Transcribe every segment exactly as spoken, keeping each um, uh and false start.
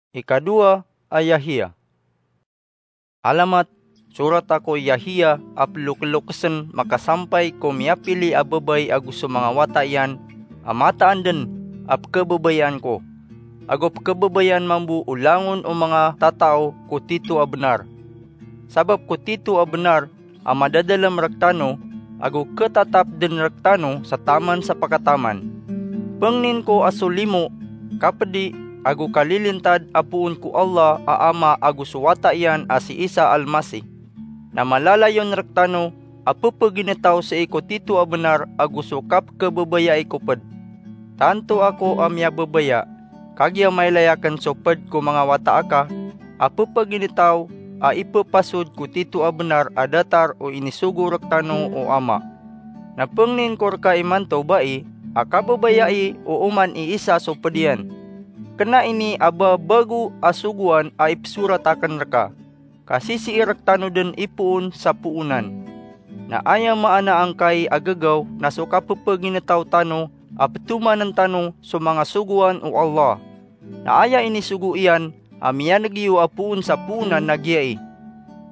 Ikadowa a Yahiya. Alamat, sorat ako i Yahiya a pelokelokesen makasampay ko miyapili a babay ago so manga wata iyan a mataan den a pekebabayaan ko, ago pekebabayaan mambo o langon o manga tatao ko tito a benar. Sabap ko tito a benar a madadalem rektano, ago ketatap den rektano sa taman sa pakataman. Pengnin ko a so limo, kapedi, ago kalilintad a poon ko Allah a Ama ago so wata iyan a si Isa Almasih, na malalayon rektano a pepeginetaw sii ko tito a benar ago so kapekebabayai ko ped. Tanto ako a miyababaya, kagiya mailay aken so ped ko manga wata aka a pepeginetaw a ipepasod ko tito a benar a datar o inisogo rektano o Ama. Na pengnin ko reka imanto bai a kababayai o oman i Isa so ped iyan. Kena ini a ba bago a sogoan a ipesorat aken reka, ka sisii rektano den ipoon sa poonan. Na aya maana angkai a gegaw na so kapepeginetaw tano a petomanen tano so manga sogoan o Allah. Na aya inisogo iyan a miyaneg iyo a poon sa poonan na giyai: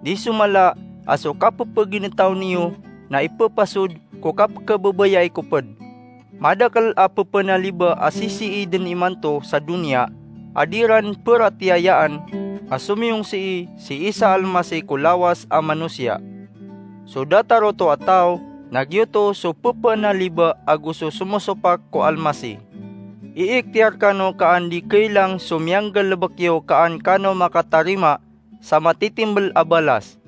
Di so mala a so kapepeginetaw niyo na ipepasod ko kapekebabayai ko ped. Madakel a pepenaliba a sisii den imanto sa doniya a di ran peratiyayaan a somiyong sii si Isa Almasih ko lawas a manosiya. So datar oto a taw na giyoto so pepenaliba ago so somosopak ko Almasih. Iiktiyar kano ka an di kailang so miyanggalebek iyo ka an kano makatarima sa matitimbel a balas.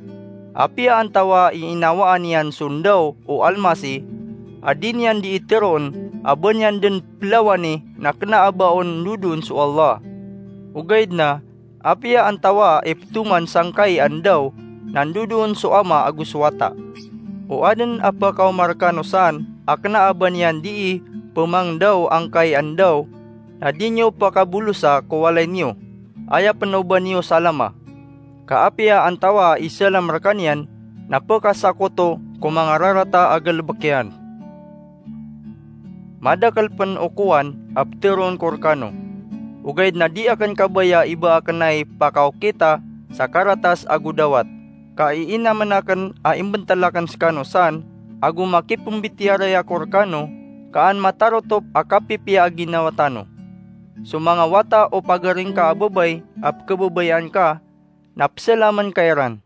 Apiya antawaa i inawaan iyan so ndaw o Almasih a di niyan dii teroon a ba niyan den pelawani, na kena a ba on ndodoon so Allah. Ogaid na, apiya antawaa i petoman sangkai a ndaw, na ndodoon so Ama ago so Wata. O aden a pekaoma rekano san a kena a ba niyan dii pemangdaw angkai a ndaw, na di niyo pakabolosa ko walay niyo, aya pen o ba niyo salama. Ka apiya antawaa i salam rekaniyan na pekasakoto ko manga rarata a galebek iyan. Madakel pen o kowan a peteroon ko rekano. Ogaid na di aken kabaya i ba aken ai pakaokita sa karatas ago dawat, ka iinamen aken a imbentel aken sekano san, ago makipembitiyarai ako rekano, ka an matarotop a kapipiya a ginawa tano. So manga wata o pagari ngka a babay a pekebabayaan ka, na peselamen ka iran.